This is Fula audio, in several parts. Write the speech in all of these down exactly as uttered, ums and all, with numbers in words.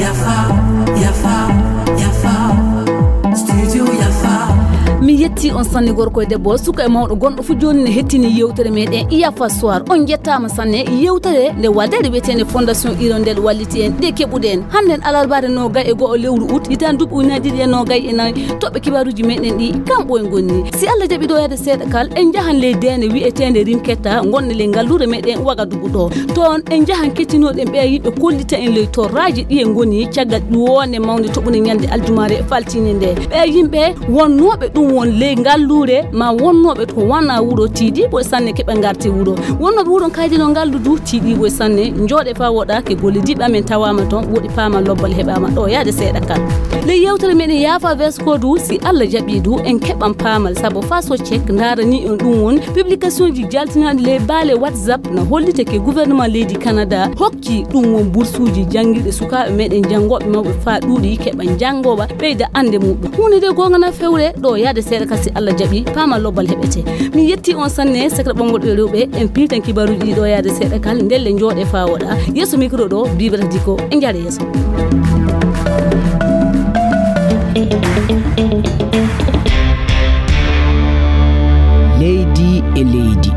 Yafa, yafa, yafa. Studio yafa. Mi yetti on sanne, gorko e debbo, suka e mawɗo, gonɗo fu jooni ne hettini yewtere meɗen Iyafa Soir. On jettaama sanne. Yewtere nde waɗeede wiyeteende Fondation Hirondelle walliti en, nde keɓuɗen. Hannden alarbaare noogay e go'o lewru ut, hitaande duuɓi ujunaaji ɗiɗi e noogay e nayi. Toɓɓe kibaaruuji meɗen ɗi, kamɓe en ngoni. Si Allah jaɓi ɗo yaade seeɗa kal, en njahan ley deene wiyeteende Rimketta, ngonne ley ngalluure meɗen Wagadugu ɗo. Toon en njahan kettinooɗen ɓeya yimɓe kollita en ley torraaji ɗi e ngoni caggal ƴuwoonde mawnde toɓunde ñande aljumaare faltiinde nde. Ɓeya yimɓe wonnooɓe ɗum won ley ngalluure ma wonnooɓe to wona wuro tiiɗiiɓo e sanne keɓa ngarte wuro. Wonnooɓe wuro kaydino ngallu du tiiɗiiɓo e sanne, njooɗe faa woɗa ke golle diɓɓe amen tawaama toon, woɗi paama lobbal heɓaama ɗo yaade seeɗa kal. Ley yewtere meɗen Yaafa Vesko du, si Allah jaɓi du, en keɓan paamal, sabu Faso Cek ndaarani on ɗum won publication ji jaltinaaɗi ley baale WhatsApp na hollitake gouvernement leydi Canada hokki ɗum won bursuuji janngirɗe sukaaɓe meɗen janngooɓe mawɓe faa ɗuuɗi keɓa janngooɓa ɓeyda annde muɗum. Huunde nde goonga na fewre ɗo yaade seeɗa kal si Allah jaɓi, paama lobbal heɓete. Mi yetti on sanne, sekre ɓonngol ɓe rewɓe, en piltan kibaaruuji ɗi ɗo yaade seeɗa kal, ndelle njooɗe faa woɗa. Yeeso micro ɗo, Bibata Diko, en njaare yeeso. Leydi e leydi.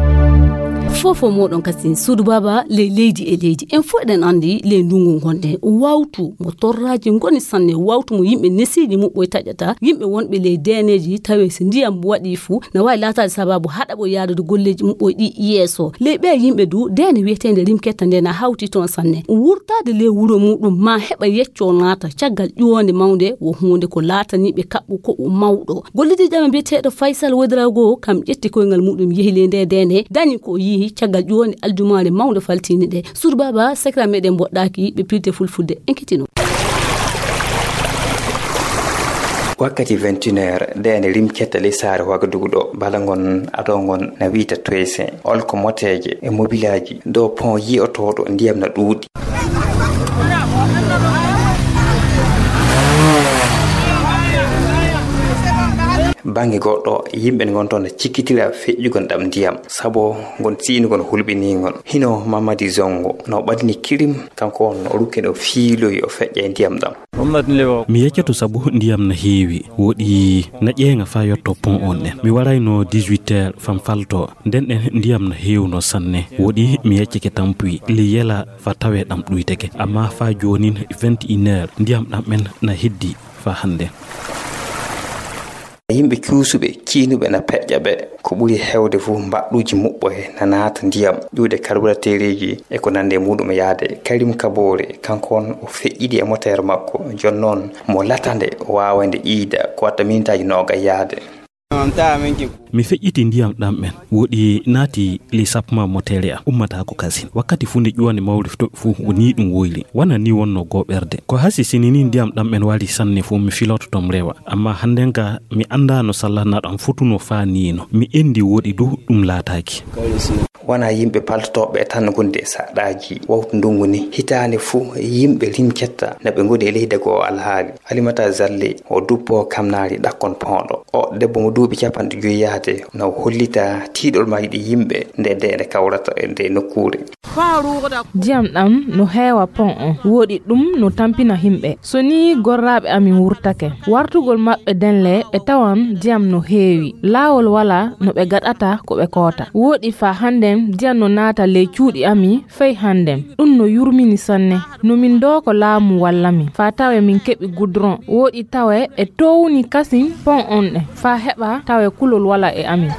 Fofo moɗon kasin suudu baaba ley leydi e leydi. En fof eɗen anndi ley ndungu ngonɗen. Wawtu mo torraaji ngoni sanne, wawtu mo yimɓe nesiiji muɓɓoy taƴata, yimɓe wonɓe ley deeneeji tawe si ndiyam waɗi fu, na waawi laataade sababu haɗa ɓo yaadude golleeji muɓɓoy ɗi yeeso. Ley ɓee yimɓe du, deene wiyeteende Rimketta nde na hawti toon sanne. Wurtaade ley wuro muɗum ma heɓa yecco naata caggal ƴuwoonde mawnde wo huunde ko laataniiɓe kaɓɓu ko o mawɗo. Gollidiijo amen biyeteeɗo Faysal Wedrago kam ƴetti koyngal muɗum yehi ley nde deene, dañi ko o yihi caggal ƴuwoonde aljumaare mawnde faltiinde nde. Suudu baaba, sekra meɗen mboɗɗaaki, ɓe pilte fulfulde. En ketino. Wakkati vingt et une heures, deene Rimketta ley saare Wagadugu ɗo, bala ngon ado ngon na wiyta toyse, olko moteeje e mobilaaji, dow pont yi'otooɗo ndiyam na ɗuuɗi. Bannge goɗɗo, yimɓe ngon toon na cikkitira feƴƴugol ɗam ndiyam, sabo ngon si'inugol hulɓiningol. Hino Mamadi Zongo no ɓadini kirim, kanko on o rukke no fiiloyi o feƴƴa e ndiyam ɗam. Mi yeccoto sabu ndiyam na heewi, woɗi na ƴeeŋa faa yotto pont on ɗen. Mi warayno dix-huit heures fam falto, nden ɗen ndiyam na heewno sanne, woɗi mi yeccike tampuy, li yela faa tawe ɗam ɗuyteke. Amma faa joonin vingt et une heures, ndiyam ɗam en na heddi faa hannde. Yimɓe cuusuɓe, ciinuɓe na peƴƴa ɓe. Ko ɓuri heewde fof, mbaɗɗuuji muɓɓoye na naata ndiyam, ƴuuɗe karburateereeji e ko nandi e muɗum yaade. Karim Kabore, kanko on o feƴƴidi e moteer makko, jooni noon mo latande o waawa nde iida, ko watta minitaaji noogay yaade. Mi feƴƴiti ndiyam ɗam en, woɗi naati ley sapma moteere am, ummataako kasin. Wakkati fuu nde ƴuwande mawri toɓi fuu, ko nii ɗum woyri. Wona nii wonno gooɓerde. Ko hasi sini nii ndiyam ɗam en wari sanne fuu, mi filoto tom rewa. Amma hannden ka mi anndaa no sallana ɗam fotuno faa nii no. Mi enndi woɗi du ɗum laataaki. Wona yimɓe paltotooɓe tan ngoni e saɗɗaaji wawtu ndungu ni. Hitaande fuu yimɓe Rimketta na ɓe ngoni e leydi goo alhaali. Alimata Zalle o duppo Kamnaari ɗakkon pooɗo. O debbo mo duuɓi capanɗe joyi yaade na hollita tiiɗol maa yiɗi yimɓe nde nde nde kawrata e nde nokkuure. Ndiyam ɗam no heewa pon on, woɗi ɗum no tampina yimɓe. So nii gorraaɓe amin wurtake, wartugol maɓɓe denle ɓe tawan ndiyam no heewi. Laawol walaa no ɓe gaɗata ko ɓe koota. Woɗi faa hannden ndiyam no naata ley cuuɗi amin fey hannden. Ɗum no yurmini sanne. No min dooko laamu walla min faa tawe min keɓi gudron. Woɗi tawe e toowni kasin pon on ɗen faa heɓa tawe kulol walaa e amin.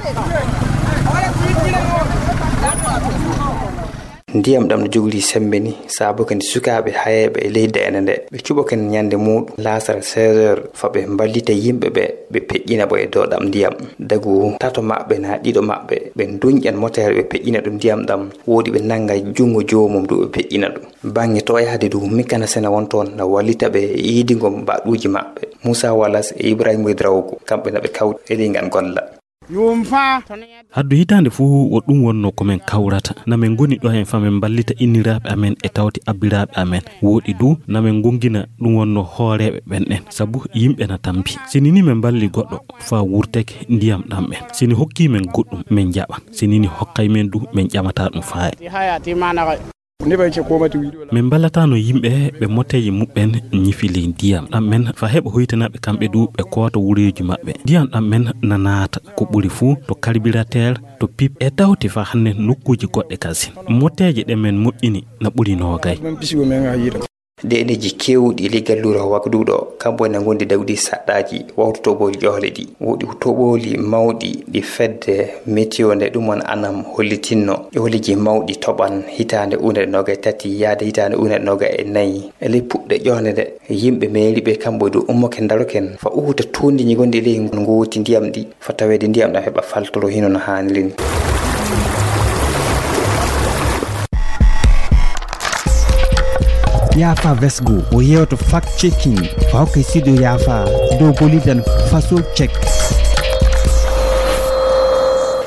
Ndiyam ɗam no jogori semmbe ni, saabu kadi sukaaɓe hayeeɓe e leydi ene nde, ɓe cuɓoken ñande muuɗum laasara seize heures, faa ɓe mballita yimɓe ɓe, ɓe peƴƴina ɓe e dow ɗam ndiyam. Dagu tato maɓɓe naa ɗiɗo maɓɓe, ɓe nduñƴan moteere, ɓe peƴƴina ɗum ndiyam ɗam, woɗi ɓe nannga junngo joomum du, ɓe peƴƴina ɗum. Baŋŋe toyaade du, Mikana Sena won toon, na wallita ɓe e iidingo mbaɗɗuuji maɓɓe. Muusa Walas e Ibrahima Drawgo, kamɓe na ɓe kawti e ɗi ngan golla. Haddu hitaande fuu wo ɗum wonnoo ko men kawrata. Na men ngoni ɗo hen fa men mballita inniraaɓe amen e tawti abbiraaɓe amen. Wooɗi du, na men ngonngina ɗum wonnoo hooreeɓe ɓen ɗen. Sabu yimɓe na tampi. Si ni ni men mballi goɗɗo faa wurteke ndiyam ɗam ɓen. Si ni hokkii men goɗɗum, men jaɓa. Si ni ni hokkay men du, men ƴamataa ɗum faaya. Min mballataano yimɓe ɓe moteeji muɓɓen ñifi ley ndiyam ɗam men fa heɓa hoytinaɓe kamɓe du ɓe koota wureeji maɓɓe. Ndiyam ɗam men na naata ko ɓuri fuu to karbirateer, to pip e tawti fa hannde nokkuuji goɗɗe kasin. Moteeje ɗe men moƴƴini na ɓuri noogay. Deeɗeeji keewɗi ley galluure Wagduɗo, kambo ene ngondi dagudi saɗɗaaji wawtu toɓooli ƴohle ɗi. Woodi toɓooli mawɗi ɗi fedde Meteo nde ɗum on anam hollitinno. Ƴooleeji mawɗi toɓan hitaande ujunere noogay tati yaade hitaande ujunere noogay e nayi. E ley puɗɗe ƴohnde nde, yimɓe meeriiɓe kambo e dow ummoken daroken fa uhuta tuundiiji gonɗi ley ngooti ndiyam ɗi, fa taweede ndiyam ɗam heɓa faltoro hino no haaniri ni. Yaafa Vesgo o yeewto fact checking fa hokka e studio Yaafa dow gollidan faso check.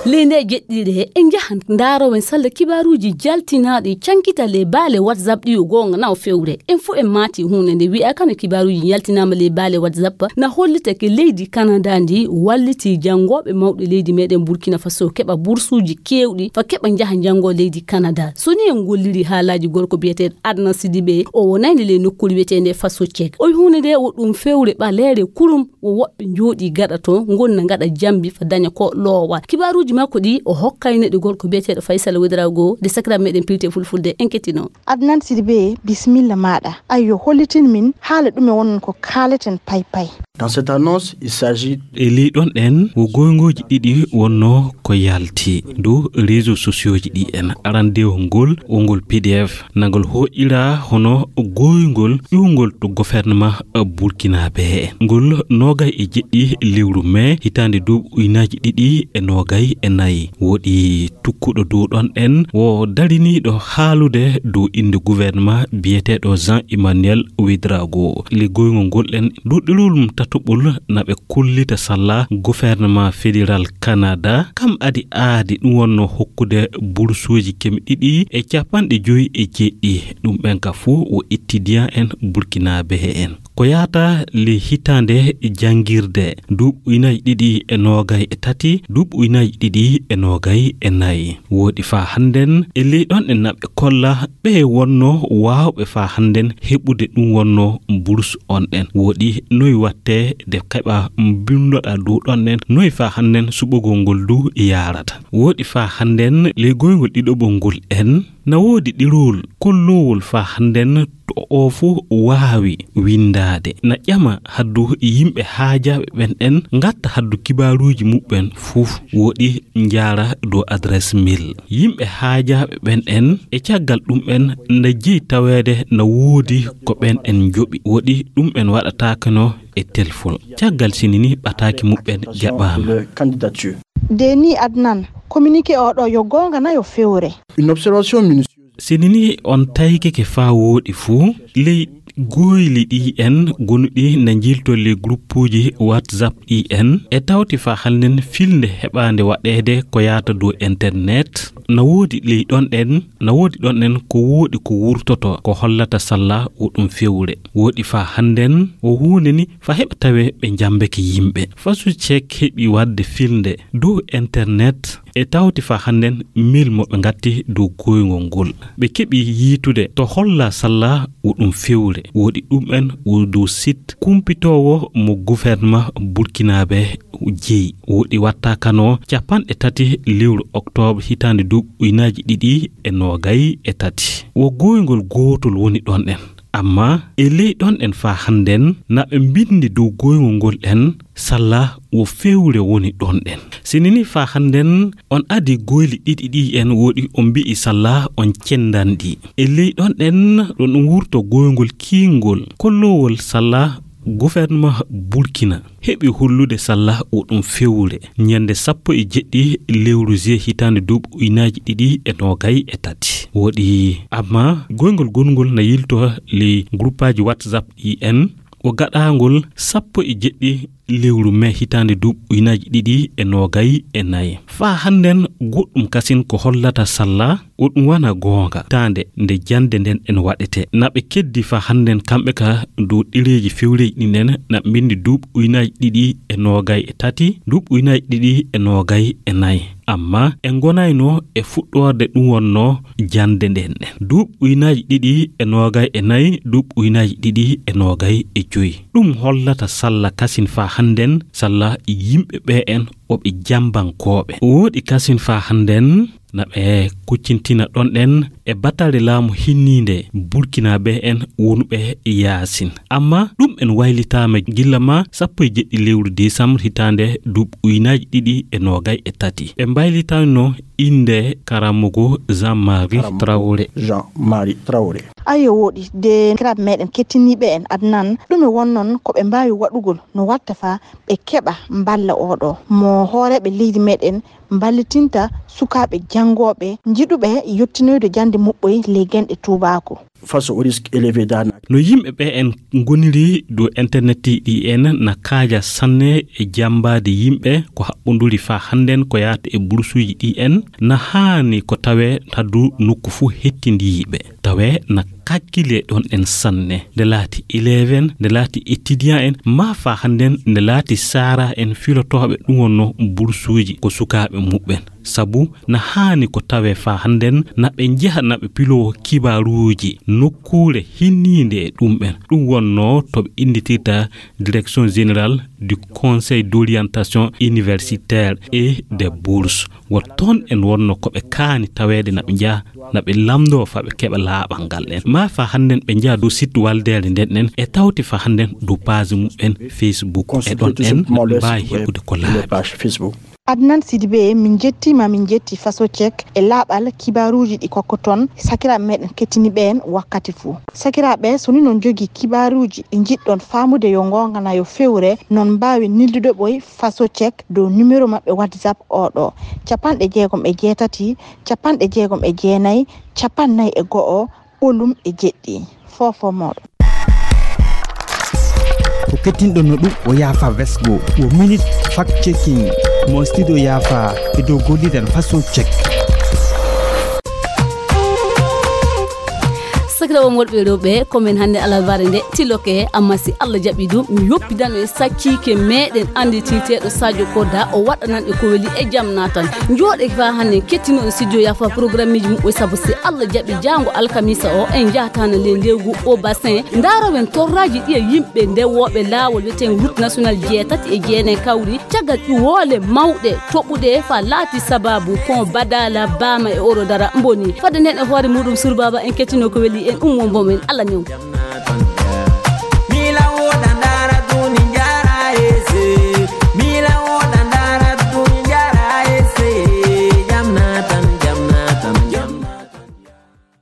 Ley nde jeɗɗiire en njahan ndaarowen salla kibaaruuji jaltinaaɗi cankita ley baale WhatsApp ɗi o goonga na o fewre. En fof en maati huunde nde wi'aa kano kibaaruuji jaltinaama ley baale WhatsApp na hollita ke leydi Canada ndi wallitii janngooɓe mawɗi leydi meɗen Burkina Faso keɓa bursuuji keewɗi fa keɓa njaha njanngoo leydi Canada. So ni en ngolliri haalaaji gorko biyeteeɗo Adnan Sidibe o wonayde ley nokkuure wiyeteende Faso Check. O wi huunde nde wo ɗum fewre ɓaleere kurum. Wo woɓɓe njooɗii gaɗa toon, ngonna ngaɗa jambi fa daña ko loowa. Kibaaruuji makko ɗi o hokkayno ɗi gorko biyeteeɗo Faysal Wedrago, nde sakiraaɓe meɗen pilti e fulfulde, en kettinoo. Adnan Sidibe, bisimilla maaɗa. Ayyo, hollitin min haala ɗume wonnon ko kaaleten pay pay. Dans cette annonce, il s'agit e ley ɗon ɗen wo goyngooji ɗiɗi wonnoo ko yalti dow réseaux sociaux ji ɗi en. Arandeewol ngol, wo ngol P D F. Nangol hooƴiraa hono gooyngol ƴuwngol to gouvernement Burkinabé. Ngol noogay e jeɗɗi lewru mee hitaande duuɓi ujunaaji ɗiɗi e noogay e nayi. Woɗi tukkuɗo dow ɗon ɗen wo dariniiɗo haalude dow innde gouvernement biyeteeɗo Jean Emmanuel Ouedraogo. Liggoyngol ngol ɗen duɗɗirol mum tataɓol na ɓe kollita salla gouvernement fédéral Canada, kam adi aadi ɗum wonno hokkude bursuuji keme ɗiɗi e capanɗe joyi e jeeɗiɗi. Ɗum ɓen ka fof o ittidiyan en Burkinabé en. Ko yahata ley hitaande janngirde, duuɓi ujunaaji ɗiɗi e noogay e tati, duuɓi ujunaaji ɗiɗi e noogay e nayi. Woɗi faa hannden e ley ɗon ɗen na ɓe kolla ɓe wonno waawɓe faa hannden heɓude ɗum wonno bursu on ɗen. Woɗi noy watte de keɓa mbinndoɗaa dow ɗon ɗen, noy faa hannden suɓogol ngol du yaarata. Woɗi faa hannden ley goyngol ɗiɗoɓol ngol en, na woodi ɗerewol kolloowol faa hannden to o fof waawi winndaade. Na ƴama haddu yimɓe haajaaɓe ɓen ɗen ngatta haddu kibaaruuji muɓɓen fof woɗi njaara dow adresse mail. Yimɓe haajaaɓe ɓen ɗen e caggal ɗum en na jeyi taweede na woodi ko ɓen en njoɓi. Woɗi ɗum en waɗataakeno e telefon. Caggal sini ni ɓataaki muɓɓen jaɓaama. De ni Adnan, communiqué o ɗo yo goonga na yo fewre? Une observation minutieuse. Sini ni on taykeke faa wooɗi fuu, ley gooyli ɗi en gonuɗi na njilto ley gruppuuji WhatsApp ɗi en, e tawti faa hannden filnde heɓaande waɗeede ko yaata dow internet, na woodi ley ɗon ɗen, na woodi ɗon ɗen ko wooɗi ko wurtoto, ko hollata salla wo ɗum fewre. Wooɗi faa hannden wo huunde ni faa heɓa tawe ɓe njambeke yimɓe. Fasu Cek heɓi waɗde filnde dow internet e tawti faa hannden mail mo ɓe ngatti dow gooyngol ngol. Ɓe keɓi yiitude to holla salla wo ɗum fewre. Wooɗi ɗum en wo dow site kumpitoowo mo gouvernement Burkinabé jeyi. Wooɗi watta kano capanɗe tati lewru oktoobre hitaande duuɓi ujunaaji ɗiɗi e noogay e tati. Wo gooyngol gootol woni ɗon ɗen. Amma e ley ɗon ɗen faa hannden na ɓe mbinndi dow gooyngol ngol ɗen salla wo fewre woni ɗon ɗen. Sini ni faa hannden on adi gooyli ɗiɗi ɗi en wooɗi on mbi'i salla on cendanɗi. E ley ɗon ɗen ɗon ɗum wurto gooyngol kiingol kolloowol salla gouvernement Burkina heɓi hollude salla wo ɗum fewre ñande sappo e jeɗɗi lewru juillet hitaande duuɓi ujunaaji ɗiɗi e noogay e tati. Wooɗi amma gooyngol gongol na yilto ley gruppaaji WhatsApp ɗi en o gaɗaangol sappo e jeɗɗi lewru mee hitaande duuɓi ujunaaji ɗiɗi e noogay e nayi. Faa hannden goɗɗum kasin ko hollata salla o ɗum wona goonga hitaande nde jannde nden en waɗete. Na ɓe keddi faa hannden kamɓe ka dow ɗereeji fewreeji ɗin en, na ɓe mbinndi duuɓi ujunaaji ɗiɗi e noogay e tati, duuɓi ujunaaji ɗiɗi e noogay e nayi. Amma en ngonayno e fuɗɗoorde ɗum wonnoo jannde nden ɗen. Duuɓi ujunaaji ɗiɗi e noogay e nayi, duuɓi ujunaaji ɗiɗi e noogay e joyi. Ɗum hollata salla kasin faa hannden, salla yimɓe ɓee en o ɓe jambankooɓe. O woɗi kasin faa hannden, na ɓe kuccintina ɗon ɗen e batale laamu hinniinde Burkinaaɓe en wonuɓe yaasin. Amma ɗum en waylitaama gilla ma sappo e jeɗɗi lewru desambre hitaande duuɓi ujunaaji ɗiɗi e noogay e tati. Ɓe mbaylitanno innde karammogo Jean-Marie Traoré. Jean-Marie Traoré. Ayo woɗi, de sakiraaɓe meɗen kettiniiɓe en Adnan, ɗume wonnon ko ɓe mbaawi waɗugol no watta faa ɓe keɓa mballa oɗo mo hooreeɓe leydi meɗen mballitinta sukaaɓe janngooɓe njiɗuɓe yottinoyde jannde muɓɓoy ley genɗe tuubaaku? Face au risque élevé d'arnaque. No yimɓe ɓe en ngoniri dow internet ɗi en na kaaja sanne e jambaade yimɓe ko haɓɓonduri faa hannden ko yaata e bursuuji ɗi en, na haani ko tawee taddu nokku fuu hettindiiɓe. Tawee na kakkile ɗon en sanne. Nde laati élève en, nde laati étudiant en, maa faa hannden nde laati saara en filotooɓe ɗum wonno bursuuji ko sukaaɓe muɓɓen. Sabu na haani ko tawee faa hannden na ɓe njeha na ɓe piloo kibaaruuji nokkuure hinniinde e ɗum ɓen. Ɗum wonnoo to ɓe innditirta Direction Générale du Conseil d'Orientation Universitaire et des Bourses. Wo toon en wonno ko ɓe kaani taweede na ɓe njaha na ɓe lamndoo faa ɓe keɓa laaɓal ngal ɗen. Maa faa hannden ɓe njaha dow site waldeere nden ɗen e tawti faa hannden dow page muɓɓen Facebook e ɗon en na ɓe mbaawi heɓude ko laaɓi. Adnan Sidibé, min njettiima, min njetti Faso Cek e laaɓal kibaaruuji ɗi kokkoton sakiraaɓe meɗen kettiniiɓe en wakkati fuu. Sakiraaɓe, so ni non njogii kibaaruuji ɗi njiɗɗon faamude yo ngoonga na yo fewre, non mbaawi neldude ɓoy Faso Cek dow numéro maɓɓe WhatsApp oo ɗoo, capanɗe jeegom e jeetati, capanɗe jeegom e jeenayi, capanɗe nayi e go'o, ɓolum e jeɗɗi. Foofoo mooɗon. Ko kettinɗon no ɗum o Yaafa Vesgo, wo minute fact checking mo studio Yaafa e dow golliren Faso Cek. Sakiraaɓe am worɓe e rewɓe, ko men hannde alarbaare nde tiloke, amma si Allah jaɓi ɗum, mi yoppidano e sakkiike meɗen annditirteeɗo Sadio Koda, o waɗanan e ko weli e jam naatan. Njooɗe faa hannde kettinooɗo studio Yaafa programmeeji muɓɓoy, sabu si Allah jaɓi jaango alkamisa o, en njahataano le ndewgu o bassin. Ndaarowen torraaji ɗi e yimɓe ndewooɓe laawol wiyeteengo route national jeetati e jeenayi kawri. Caggal ƴuwoole mawɗe toɓuɗe faa laati sabaabu ko Badala Bama e Oro Dara mboni. Fadde nden e hoore muɗum Surbaaba en kettinoo ko weli en ummo mbo men Allah new.